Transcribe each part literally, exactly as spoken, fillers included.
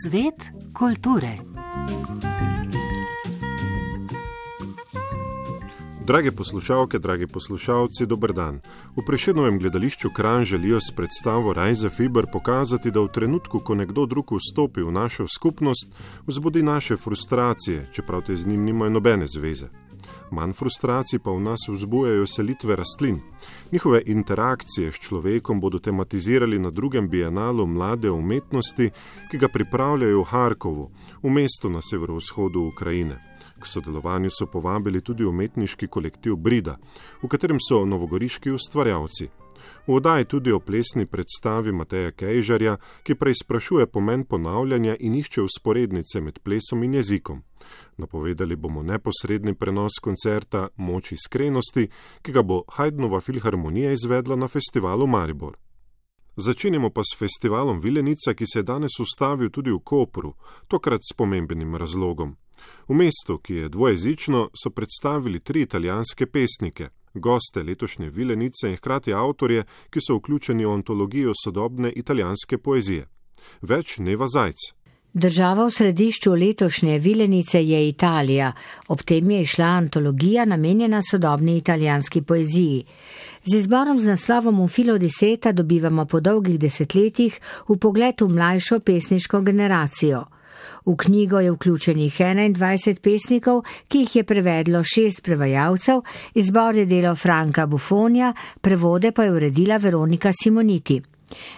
Svet kulture. Drage poslušalke, dragi poslušalci, dober dan. V Prešernovem gledališču Kranj želijo s predstavo Reisefiber pokazati, da v trenutku, ko nekdo drug vstopi v našo skupnost, vzbudi naše frustracije, čeprav te z njim nimajo nobene zveze. Manj frustracij pa v nas vzbujajo selitve rastlin. Njihove interakcije s človekom bodo tematizirali na drugem bienalu mlade umetnosti, ki ga pripravljajo v Harkovu, v mestu na severovzhodu Ukrajine. K sodelovanju so povabili tudi umetniški kolektiv Brida, v katerem so novogoriški ustvarjalci. V oddaji tudi o plesni predstavi Mateja Kejžarja, ki preizprašuje pomen ponavljanja in išče vzporednice med plesom in jezikom. Napovedali bomo neposredni prenos koncerta Moč iskrenosti, ki ga bo Haydnova filharmonija izvedla na festivalu Maribor. Začenjamo pa s festivalom Vilenica, ki se je danes ustavil tudi v Kopru, tokrat s pomembnim razlogom. V mestu, ki je dvojezično, so predstavili tri italijanske pesnike, goste letošnje Vilenice in hkrati avtorje, ki so vključeni v antologijo sodobne italijanske poezije. Več Neva Zajc. Država v središču letošnje Vilenice je Italija, ob tem je išla antologija namenjena sodobni italijanski poeziji. Z izborom z naslovom V filo di seta dobivamo po dolgih desetletjih vpogled v mlajšo pesniško generacijo. V knjigo je vključenih enaindvajset pesnikov, ki jih je prevedlo šest prevajalcev, izbor je delo Franka Bufonja, prevode pa je uredila Veronika Simoniti.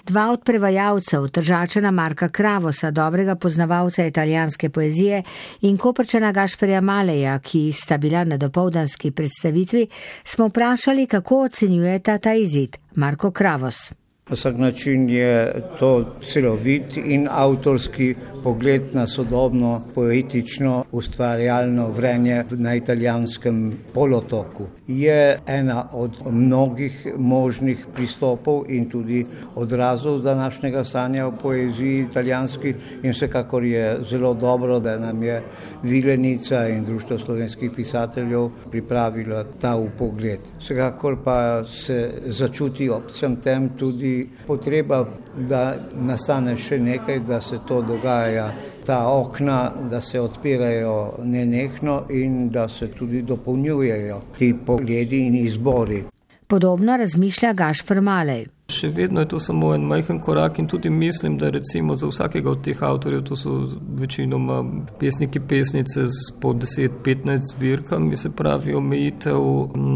Dva od prevajalcev, Tržačana Marka Kravosa, dobrega poznavalca italijanske poezije, in Koprčana Gašperja Maleja, ki sta bila na dopoldanski predstavitvi, smo vprašali, kako ocenjujeta ta izid. Marko Kravos. Na vsak način je to celovit in avtorski pogled na sodobno, poetično, ustvarjalno vrenje na italijanskem polotoku. Je ena od mnogih možnih pristopov in tudi odrazov današnjega stanja v poeziji italijanski in vsekakor je zelo dobro, da nam je Vilenica in Društvo slovenskih pisateljev pripravilo ta vpogled. Vsekakor pa se začuti ob vsem tem tudi potreba, da nastane še nekaj, da se to dogaja, ta okna, da se odpirajo nenehno in da se tudi dopolnjujejo ti pogledi in izbori. Podobno razmišlja Gašper Malej. Še vedno je to samo en majhen korak in tudi mislim, da recimo za vsakega od teh avtorjev, to so večinoma pesniki, pesnice z po deset do petnajst zbirkami, se pravi omejitev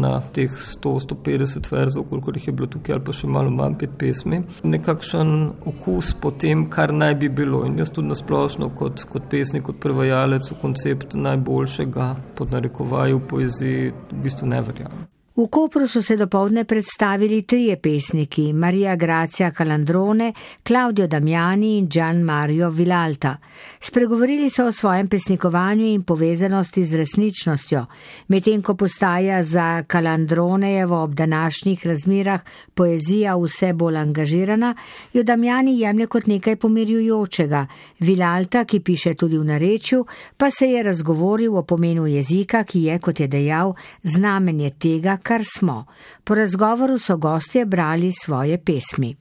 na teh sto do sto petdeset verzov, koliko jih je bilo tukaj ali pa še malo manj pet pesmi. Nekakšen okus po tem, kar naj bi bilo. In jaz tudi nasplošno kot, kot pesnik, kot prevajalec v koncept najboljšega pod narekovaji v poeziji v bistvu ne verjamem. V Kopru so se dopoldne predstavili trije pesniki, Maria Grazia Calandrone, Claudio Damiani in Gian Mario Vilalta. Spregovorili so o svojem pesnikovanju in povezanosti z resničnostjo, medtem ko postaja za Calandronejevo ob današnjih razmerah poezija vse bolj angažirana, jo Damiani jemlje kot nekaj pomirjujočega. Vilalta, ki piše tudi v narečju, pa se je razgovoril o pomenu jezika, ki je, kot je dejal, znamenje tega, kar smo. Po razgovoru so gostje brali svoje pesmi.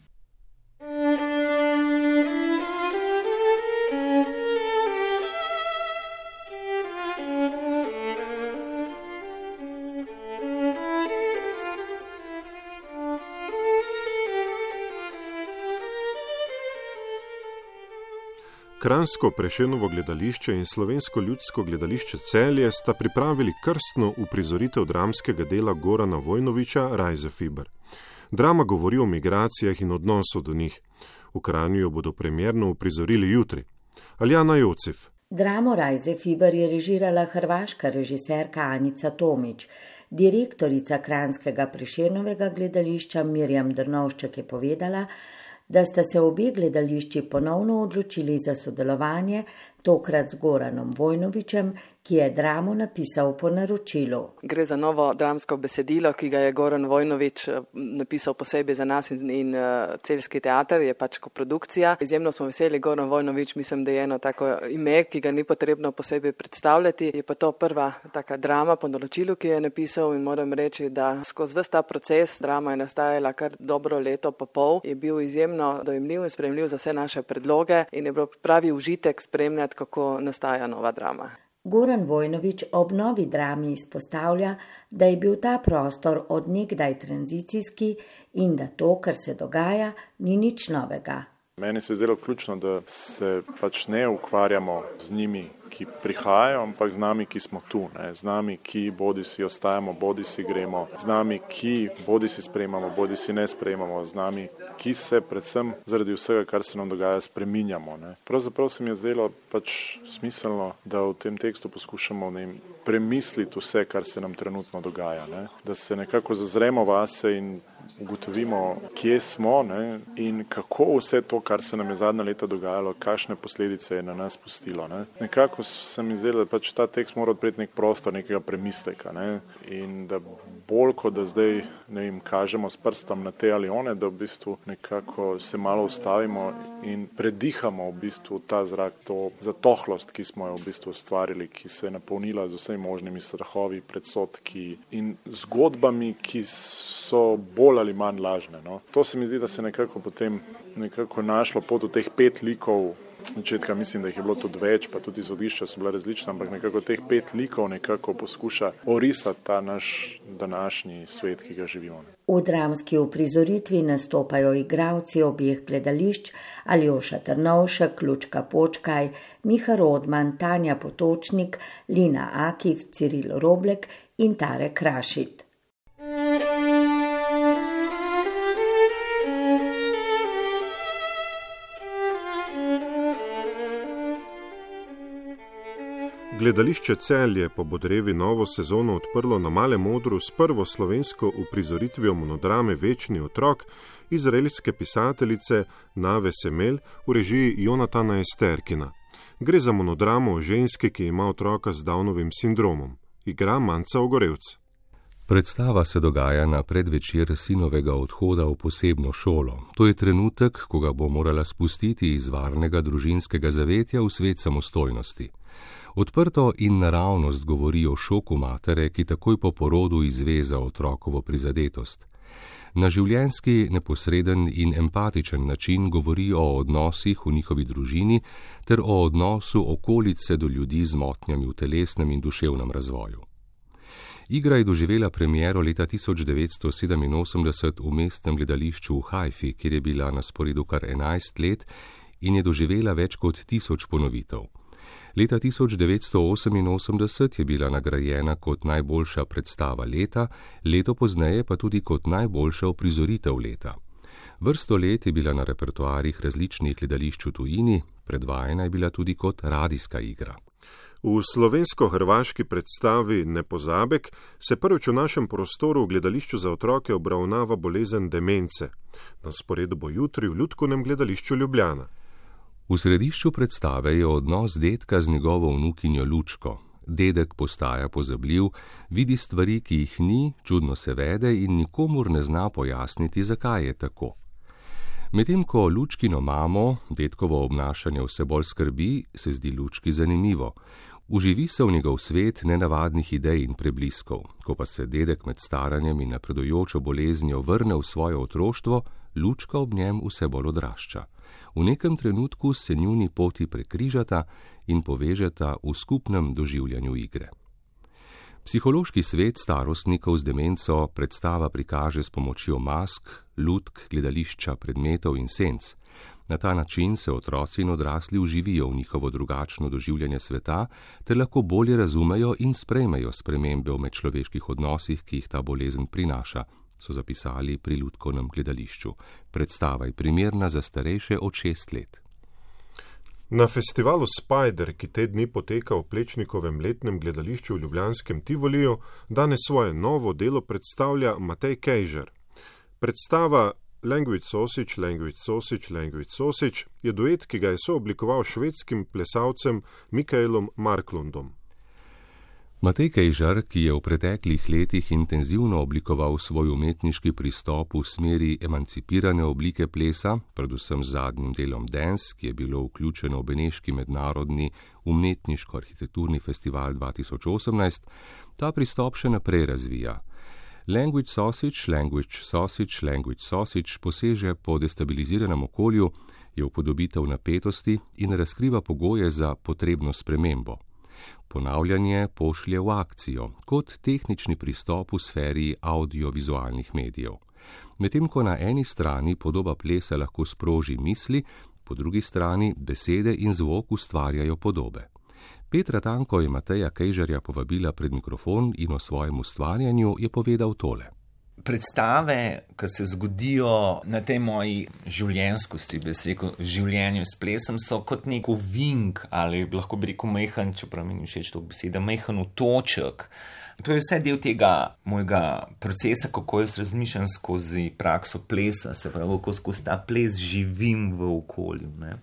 Kranjsko Prešernovo gledališče in Slovensko ljudsko gledališče Celje sta pripravili krstno uprizoritev dramskega dela Gorana Vojnovića Reisefiber. Drama govori o migracijah in odnosu do njih. V Kranju jo bodo premierno uprizorili jutri. Aljana Jocef. Dramo Reisefiber je režirala hrvaška režiserka Anica Tomić. Direktorica Kranjskega Prešernovega gledališča Mirjam Drnovšček je povedala, da sta se obe gledališči ponovno odločili za sodelovanje, tokrat z Goranom Vojnovićem, ki je dramo napisal po naročilu. Gre za novo dramsko besedilo, ki ga je Goran Vojnović napisal posebej za nas in, in uh, Celjski teater, je pač koprodukcija. Izjemno smo veseli, Goran Vojnović mislim, da je eno tako ime, ki ga ni potrebno posebej predstavljati. Je pa to prva taka drama po naročilu, ki je napisal in moram reči, da skozi ves ta proces drama je nastajala kar dobro leto pa pol, je bil izjemno dojemljiv in sprejemljiv za vse naše predloge in je bil pravi užitek spremljati, kako nastaja nova drama. Goran Vojnović ob novi drami izpostavlja, da je bil ta prostor od nekdaj tranzicijski in da to, kar se dogaja, ni nič novega. Meni se je zdelo ključno, da se pač ne ukvarjamo z njimi, ki prihajajo, ampak z nami, ki smo tu, ne? Z nami, ki bodi si ostajamo, bodi si gremo, z nami, ki bodi si sprejemamo, bodi si ne sprejemamo, z nami, ki se predvsem zaradi vsega, kar se nam dogaja, spreminjamo. Ne? Pravzaprav se mi je zdelo pač smiselno, da v tem tekstu poskušamo ne, premisliti vse, kar se nam trenutno dogaja, ne? Da se nekako zazremo vase in ugotovimo, kje smo, ne? In kako vse to, kar se nam je zadnja leta dogajalo, kakšne posledice je na nas pustilo. Ne? Nekako se mi zdelo, da pač ta tekst mora odpreti nek prostor nekega premisleka, ne? In da bolj, kot da zdaj ne vem, kažemo s prstom na te ali one, da v bistvu nekako se malo ustavimo in predihamo v bistvu ta zrak, to zatohlost, ki smo jo v bistvu ustvarili, ki se je napolnila z vsemi možnimi strahovi, predsodki in zgodbami, ki so bolj ali manj lažne. No. To se mi zdi, da se nekako potem nekako našlo pot v teh pet likov. Začetka mislim, da jih je bilo tudi več, pa tudi izhodišča so bila različna, ampak nekako teh pet likov nekako poskuša orisati ta naš današnji svet, ki ga živimo. V dramski uprizoritvi nastopajo igralci obeh gledališč, Aljoša Trnovšek, Lučka Počkaj, Miha Rodman, Tanja Potočnik, Lina Akif, Ciril Roblek in Tare Krašit. Gledališče Celje je po Bodrevi novo sezono odprlo na Malem odru s prvo slovensko uprizoritvijo monodrame Večni otrok izraelske pisateljice Nave Semel v režiji Jonatana Esterkina. Gre za monodramo o ženski, ki ima otroka z Downovim sindromom. Igra Manca Ogorevc. Predstava se dogaja na predvečer sinovega odhoda v posebno šolo. To je trenutek, ko ga bo morala spustiti iz varnega družinskega zavetja v svet samostojnosti. Odprto in naravnost govori o šoku matere, ki takoj po porodu izve za otrokovo prizadetost. Na življenjski, neposreden in empatičen način govori o odnosih v njihovi družini ter o odnosu okolice do ljudi z motnjami v telesnem in duševnem razvoju. Igra je doživela premiero leta tisoč devetsto sedeminosemdeset v mestnem gledališču v Haifi, kjer je bila na sporedu kar enajst let in je doživela več kot tisoč ponovitev. Leta tisoč devetsto oseminosemdeset je bila nagrajena kot najboljša predstava leta, leto pozneje pa tudi kot najboljša uprizoritev leta. Vrsto let je bila na repertoarjih različnih gledališč v tujini, predvajana je bila tudi kot radijska igra. V slovensko-hrvaški predstavi Nepozabek se prvič v našem prostoru v gledališču za otroke obravnava bolezen demence. Na sporedu bo jutri v Ljudkovnem gledališču Ljubljana. V središču predstave je odnos dedka z njegovo vnukinjo Lučko. Dedek postaja pozabljiv, vidi stvari, ki jih ni, čudno se vede in nikomur ne zna pojasniti, zakaj je tako. Medtem ko Lučkino mamo, dedkovo obnašanje vse bolj skrbi, se zdi Lučki zanimivo. Uživi se v njegov svet nenavadnih idej in prebliskov. Ko pa se dedek med staranjem in napredujočo boleznijo vrne v svoje otroštvo, Lučka ob njem vse bolj odrašča. V nekem trenutku se njuni poti prekrižata in povežeta v skupnem doživljanju igre. Psihološki svet starostnikov z demenco predstava prikaže s pomočjo mask, lutk, gledališča, predmetov in senc. Na ta način se otroci in odrasli vživijo v njihovo drugačno doživljanje sveta ter lahko bolje razumejo in sprejmejo spremembe v medčloveških odnosih, ki jih ta bolezen prinaša, so zapisali pri Ljudkovnem gledališču. Predstava je primerna za starejše od šest let. Na festivalu Spider, ki te dni poteka v Plečnikovem letnem gledališču v ljubljanskem Tivoliju, danes svoje novo delo predstavlja Matej Kejžar. Predstava Language Sausage, Language Sausage, Language Sausage je duet, ki ga je sooblikoval švedskim plesalcem Mikaelom Marklundom. Matej Kejžar, ki je v preteklih letih intenzivno oblikoval svoj umetniški pristop v smeri emancipirane oblike plesa, predvsem z zadnjim delom Dance, ki je bilo vključeno v Beneški mednarodni umetniško-arhitekturni festival dva tisoč osemnajst, ta pristop še naprej razvija. Language sausage, language sausage, language sausage poseže po destabiliziranem okolju, je upodobitev napetosti in razkriva pogoje za potrebno spremembo. Ponavljanje pošlje v akcijo, kot tehnični pristop v sferi audiovizualnih medijev. Medtem ko na eni strani podoba plesa lahko sproži misli, po drugi strani besede in zvok ustvarjajo podobe. Petra Tanko je Mateja Kejžarja povabila pred mikrofon in o svojem ustvarjanju je povedal tole. Predstave, ki se zgodijo na tej moji življenjskosti, bi se rekel, življenju s plesom, so kot nek ovink ali lahko bi rekel majhen, čeprav mi ni všeč to beseda, majhen otoček. To je vse del tega mojega procesa, kako jaz razmišljam skozi prakso plesa, se pravi, kako skozi ta ples živim v okolju, ne.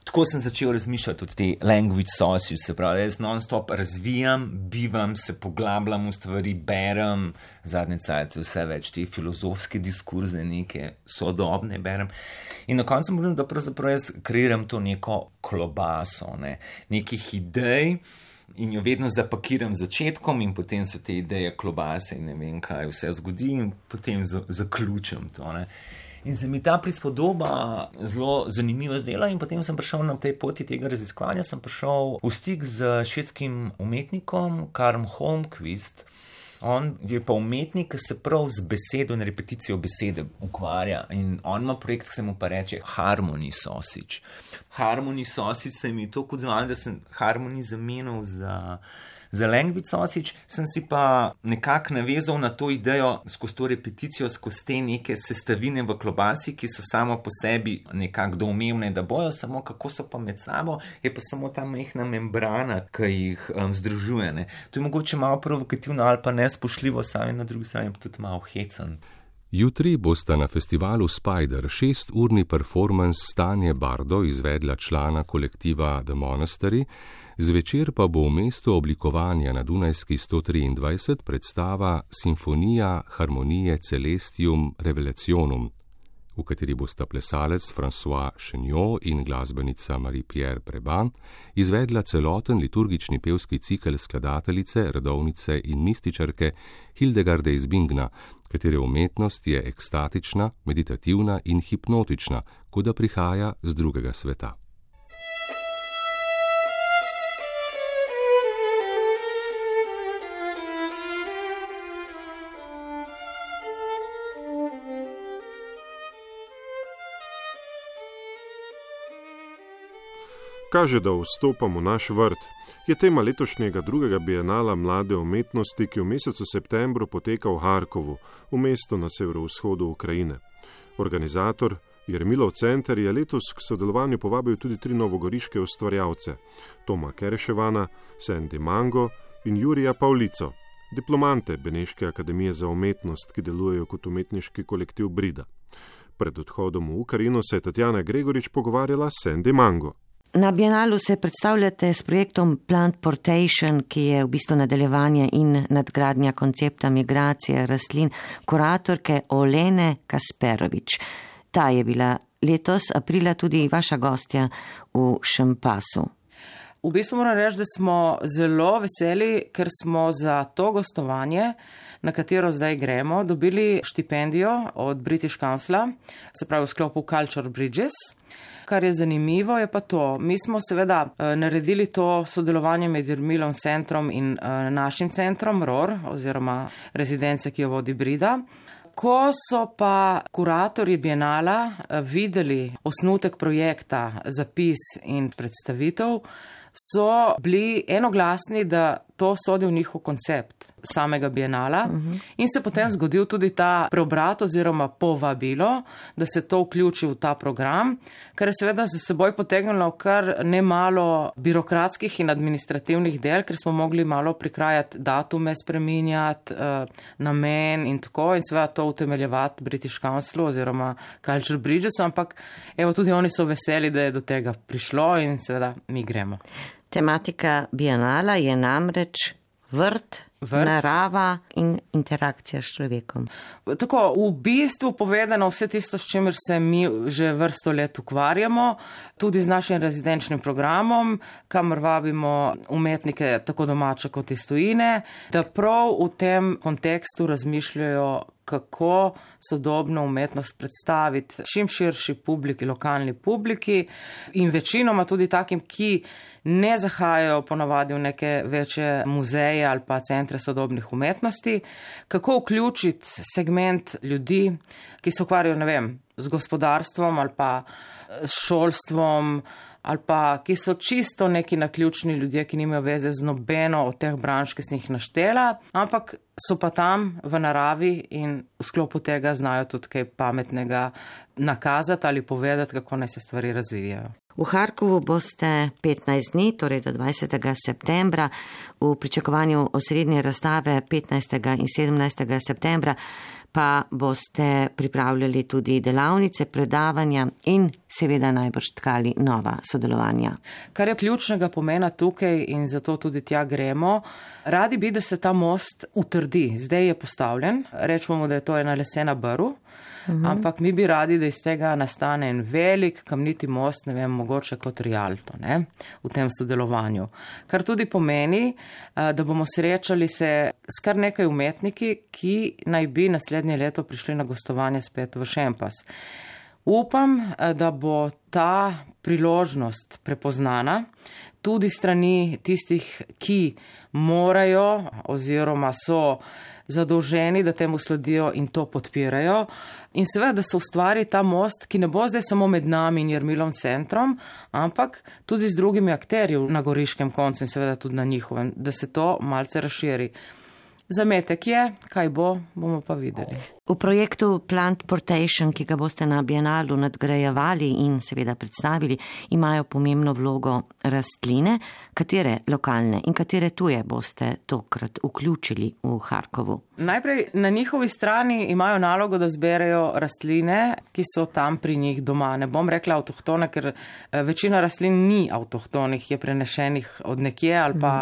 Tako sem začel razmišljati od te language sausage, se pravi, jaz non-stop razvijam, bivam, se poglabljam v stvari, berem, zadnje cajte vse več te filozofske diskurze, neke sodobne berem. In na koncu moram, da pravzaprav jaz kreiram to neko klobaso, ne, nekih idej in jo vedno zapakiram začetkom in potem so te ideje klobase in ne vem, kaj vse zgodi in potem zaključim to, ne. In se mi ta prispodoba zelo zanimiva zdela in potem sem prišel na tej poti tega raziskovanja, sem prišel v stik z švedskim umetnikom Karl Holmqvist. On je pa umetnik, ki se prav z besedo in repeticijo besede ukvarja in on ima projekt, ki se mu pa reče Harmony Sausage. Harmony Sausage se mi to kot zvali, da sem Harmony zamenil za... Za language sausage sem si pa nekako navezal na to idejo skozi to repeticijo, skozi te neke sestavine v klobasi, ki so samo po sebi nekako doumevne, da bojo, samo kako so pa med sabo, je pa samo ta majhna membrana, ki jih um, združuje. Ne. To je mogoče malo provokativno ali pa nespošljivo, sami na drugi strani pa tudi malo hecen. Jutri bosta na festivalu Spider šesturni performance Stanje Bardo izvedla člana kolektiva The Monastery, zvečer pa bo v mestu oblikovanja na Dunajski sto triindvajset predstava Simfonija Harmonije Celestium Revelationum, v kateri bosta plesalec François Chenot in glasbenica Marie-Pierre Preban izvedla celoten liturgični pevski cikel skladateljice, redovnice in mističarke Hildegarde iz Bingna, katere umetnost je ekstatična, meditativna in hipnotična, kot da prihaja z drugega sveta. Kaže, da vstopam v naš vrt, je tema letošnjega drugega bienala mlade umetnosti, ki v mesecu septembru poteka v Harkovu, v mestu na severovzhodu Ukrajine. Organizator Jermilov center je letos k sodelovanju povabil tudi tri novogoriške ustvarjalce, Toma Kereševana, Sandy Mango in Jurija Pavlico, diplomante Beneške akademije za umetnost, ki delujejo kot umetniški kolektiv Brida. Pred odhodom v Ukrajino se je Tatjana Gregorič pogovarjala s Sandy Mango. Na bienalu se predstavljate s projektom Plant Portation, ki je v bistvu nadaljevanje in nadgradnja koncepta migracije rastlin kuratorke Olene Kasperovič. Ta je bila letos aprila tudi vaša gostja v Šempasu. V bistvu moram reči, da smo zelo veseli, ker smo za to gostovanje, na katero zdaj gremo, dobili štipendijo od British Councila, se pravi v sklopu Culture Bridges. Kar je zanimivo, je pa to. Mi smo seveda naredili to sodelovanje med Jermilom centrom in našim centrom R O R, oziroma rezidence, ki jo vodi Brida. Ko so pa kuratorji bienala videli osnutek projekta, zapis in predstavitev, so bili enoglasni, da to sodi v njihov koncept samega bienala uh-huh. in se potem zgodil tudi ta preobrat oziroma povabilo, da se to vključi v ta program, kar je seveda za seboj potegnilo kar nemalo birokratskih in administrativnih del, ker smo mogli malo prikrajati datume, spreminjati uh, namen in tako in seveda to utemeljevati British Councilu oziroma Culture Bridges, ampak evo tudi oni so veseli, da je do tega prišlo in seveda mi gremo. Tematika bienala je namreč vrt, vrt, narava in interakcija s človekom. Tako, v bistvu povedano vse tisto, s čimer se mi že vrsto let ukvarjamo, tudi z našim rezidenčnim programom, kamor vabimo umetnike tako domače kot iz tujine, da prav v tem kontekstu razmišljajo, kako sodobno umetnost predstaviti čim širši publiki, lokalni publiki in večinoma tudi takim, ki ne zahajajo ponavadi v neke večje muzeje ali pa centre sodobnih umetnosti, kako vključiti segment ljudi, ki se ukvarjajo, ne vem, z gospodarstvom ali pa s šolstvom, ali pa ki so čisto neki naključni ljudje, ki nimajo veze z nobeno od teh branž, ki sem jih naštela, ampak so pa tam v naravi in v sklopu tega znajo tudi kaj pametnega nakazati ali povedati, kako naj se stvari razvijajo. V Harkovu boste petnajst dni, torej do dvajsetega septembra, v pričakovanju osrednje razstave petnajstega in sedemnajstega septembra, pa boste pripravljali tudi delavnice, predavanja in seveda najbrž tkali nova sodelovanja. Kar je ključnega pomena tukaj in zato tudi tja gremo, radi bi, da se ta most utrdi. Zdaj je postavljen, rečemo, da je to ena lesena brv, uhum. Ampak mi bi radi, da iz tega nastane en velik kamniti most, ne vem, mogoče kot Rialto, ne, v tem sodelovanju. Kar tudi pomeni, da bomo srečali se s kar nekaj umetniki, ki naj bi naslednje leto prišli na gostovanje spet v Šempas. Upam, da bo ta priložnost prepoznana tudi strani tistih, ki morajo oziroma so zadolženi, da temu sledijo in to podpirajo. In seveda, da se ustvari ta most, ki ne bo zdaj samo med nami in Jermilom centrom, ampak tudi z drugimi akterji na goriškem koncu in seveda tudi na njihovem, da se to malce razširi. Zametek je, kaj bo, bomo pa videli. V projektu Plant Portation, ki ga boste na Bienalu nadgrajevali in seveda predstavili, imajo pomembno vlogo rastline. Katere lokalne in katere tuje boste tokrat vključili v Harkovu? Najprej na njihovi strani imajo nalogo, da zberejo rastline, ki so tam pri njih doma. Ne bom rekla avtohtone, ker večina rastlin ni avtohtonih, je prenešenih od nekje ali pa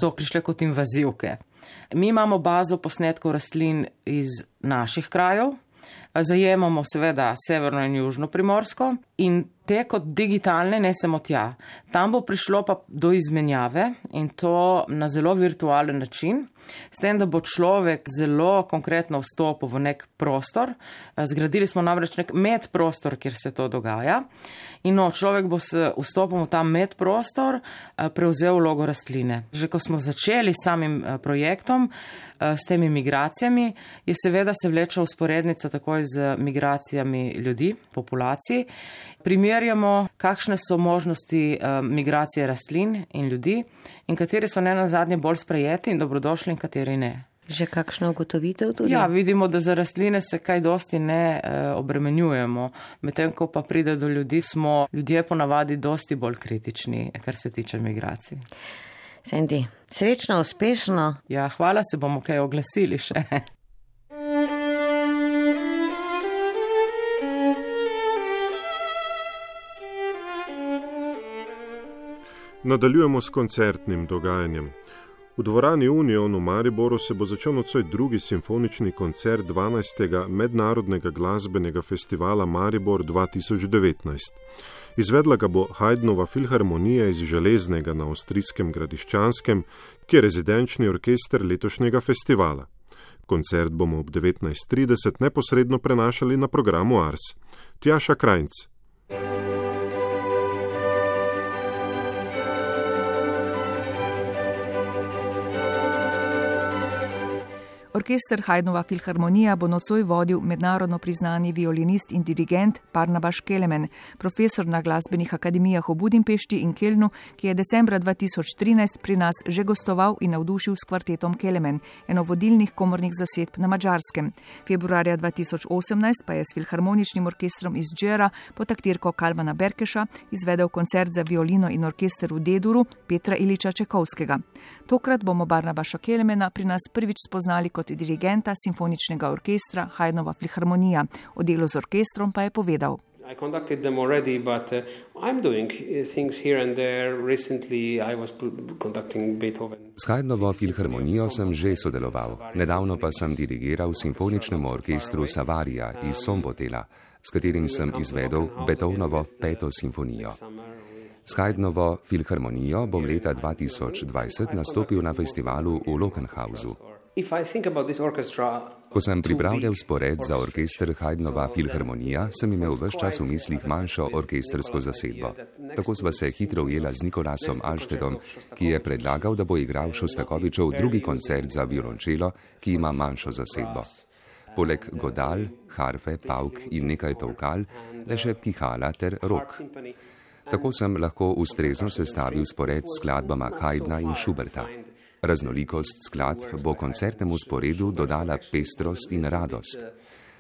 so prišle kot invazivke. Mi imamo bazo posnetkov rastlin iz naših krajev, zajemamo seveda severno in južno Primorsko in te kot digitalne nesemo tja. Tam bo prišlo pa do izmenjave in to na zelo virtualen način, s tem, da bo človek zelo konkretno vstopil v nek prostor. Zgradili smo namreč nek medprostor, kjer se to dogaja. In no, človek bo s vstopom v ta medprostor prevzel vlogo rastline. Že ko smo začeli s samim projektom, s temi migracijami, je seveda se vleča usporednica takoj z migracijami ljudi, populacij. Primerjamo, kakšne so možnosti migracije rastlin in ljudi in kateri so ne nazadnje bolj sprejeti in dobrodošli in kateri ne. Že kakšno ugotovitev tudi? Ja, vidimo, da za rastline se kaj dosti ne e, obremenjujemo. Medtem, ko pa pride do ljudi, smo ljudje ponavadi dosti bolj kritični, kar se tiče migracij. Sandy, srečno, uspešno. Ja, hvala, se bomo kaj oglasili še. Nadaljujemo s koncertnim dogajanjem. V dvorani Union v Mariboru se bo začel nocoj drugi simfonični koncert dvanajstega Mednarodnega glasbenega festivala Maribor dva tisoč devetnajst. Izvedla ga bo Haydnova filharmonija iz Železnega na avstrijskem Gradiščanskem, ki je rezidenčni orkester letošnjega festivala. Koncert bomo ob devetnajst trideset neposredno prenašali na programu Ars. Tjaša Krajnc. Orkester Haydnova filharmonija bo nocoj vodil mednarodno priznani violinist in dirigent Barnabas Kelemen, profesor na glasbenih akademijah v Budimpešti in Kelnu, ki je decembra dva tisoč trinajst pri nas že gostoval in navdušil s kvartetom Kelemen, eno vodilnih komornih zasedb na Madžarskem. Februarja dva tisoč osemnajst pa je s filharmoničnim orkestrom iz Džera pod taktirko Kalmana Berkeša izvedel koncert za violino in orkester v D-duru Petra Iliča Čekovskega. Tokrat bomo Barnabasa Kelemena pri nas prvič spoznali kot dirigenta simfoničnega orkestra Haydnova filharmonija. O delu z orkestrom pa je povedal. S Haydnovo filharmonijo sem že sodeloval, nedavno pa sem dirigiral simfoničnemu orkestru Savarija iz Sombotela, s katerim sem izvedel Beethovnovo peto simfonijo. S Haydnovo filharmonijo bom leta dva tisoč dvajset nastopil na festivalu v Lockenhausu. Ko sem pripravljal spored za orkester Haydnova filharmonija, sem imel ves čas v mislih manjšo orkestrsko zasedbo. Tako sva se hitro ujela z Nikolasom Alstedom, ki je predlagal, da bo igral Šostakovičev drugi koncert za violončelo, ki ima manjšo zasedbo. Poleg godal, harfe, pavk in nekaj tolkal, le še pihala ter rok. Tako sem lahko ustrezno sestavil spored s skladbama Haydna in Schuberta. Raznolikost skladb bo koncertnemu sporedu dodala pestrost in radost.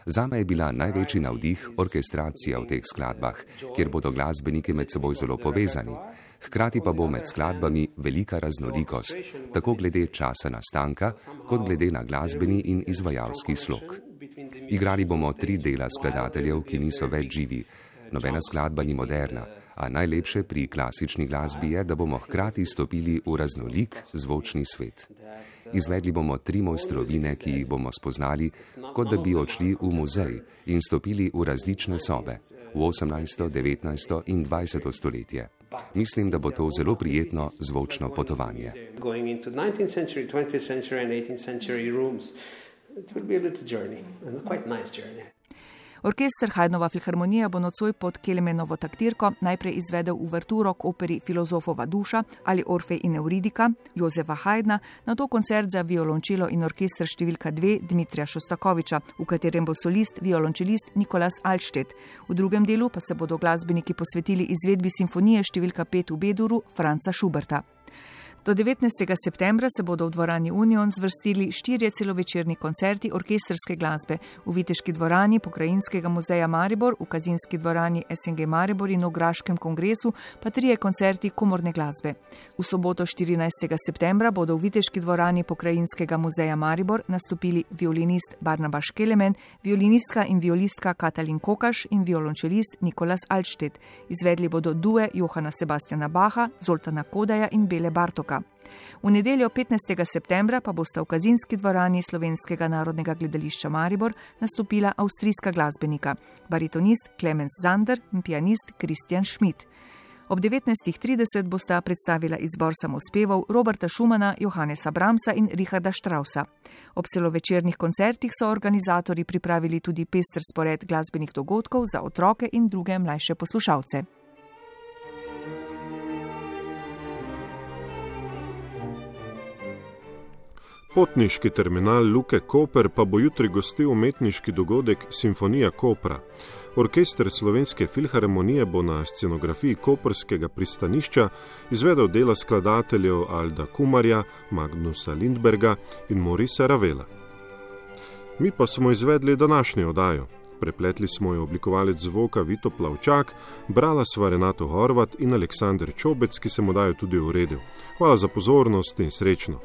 Zame je bila največji navdih orkestracija v teh skladbah, kjer bodo glasbeniki med seboj zelo povezani. Hkrati pa bo med skladbami velika raznolikost, tako glede časa nastanka, kot glede na glasbeni in izvajalski slog. Igrali bomo tri dela skladateljev, ki niso več živi. Nobena skladba ni moderna, a najlepše pri klasični glasbi je, da bomo hkrati stopili v raznolik zvočni svet. Izvedli bomo tri mojstrovine, ki jih bomo spoznali, kot da bi odšli v muzej in stopili v različne sobe, v osemnajsto, devetnajsto in dvajseto stoletje. Mislim, da bo to zelo prijetno zvočno potovanje. Orkester Haydnova filharmonija bo nocoj pod Kelemenovo taktirko najprej izvedel uverturo k operi Filozofova duša ali Orfej in Euridika Jozefa Haydna, nato koncert za violončelo in orkester številka dve Dmitrija Šostakoviča, v katerem bo solist violončelist Nikolas Alsted. V drugem delu pa se bodo glasbeniki posvetili izvedbi simfonije številka pet v B-duru Franca Schuberta. Do devetnajstega septembra se bodo v dvorani Union zvrstili štirje celovečerni koncerti orkestrske glasbe v Viteški dvorani Pokrajinskega muzeja Maribor, v Kazinski dvorani S N G Maribor in v Graškem kongresu pa trije koncerti komorne glasbe. V soboto štirinajstega septembra bodo v Viteški dvorani Pokrajinskega muzeja Maribor nastopili violinist Barnaba Škelemen, violinistka in violistka Katalin Kokaš in violončelist Nikolas Alsted. Izvedli bodo due Johana Sebastiana Bacha, Zoltana Kodaja in Bele Bartoka. V nedeljo petnajstega septembra pa bosta v Kazinski dvorani Slovenskega narodnega gledališča Maribor nastopila avstrijska glasbenika, baritonist Clemens Zander in pianist Christian Schmidt. Ob devetnajstih trideset bosta predstavila izbor samospevov Roberta Schumana, Johannesa Brahmsa in Richarda Straussa. Ob celovečernih koncertih so organizatorji pripravili tudi pester spored glasbenih dogodkov za otroke in druge mlajše poslušalce. Potniški terminal Luke Koper pa bo jutri gostil umetniški dogodek Simfonija Kopra. Orkester Slovenske filharmonije bo na scenografiji koprskega pristanišča izvedel dela skladateljev Alda Kumarja, Magnusa Lindberga in Morisa Ravela. Mi pa smo izvedli današnjo oddajo. Prepletli smo jo oblikovalec zvoka Vito Plavčak, brala sva Renato Horvat in Aleksander Čobec, ki se mu dajo tudi uredil. Hvala za pozornost in srečno.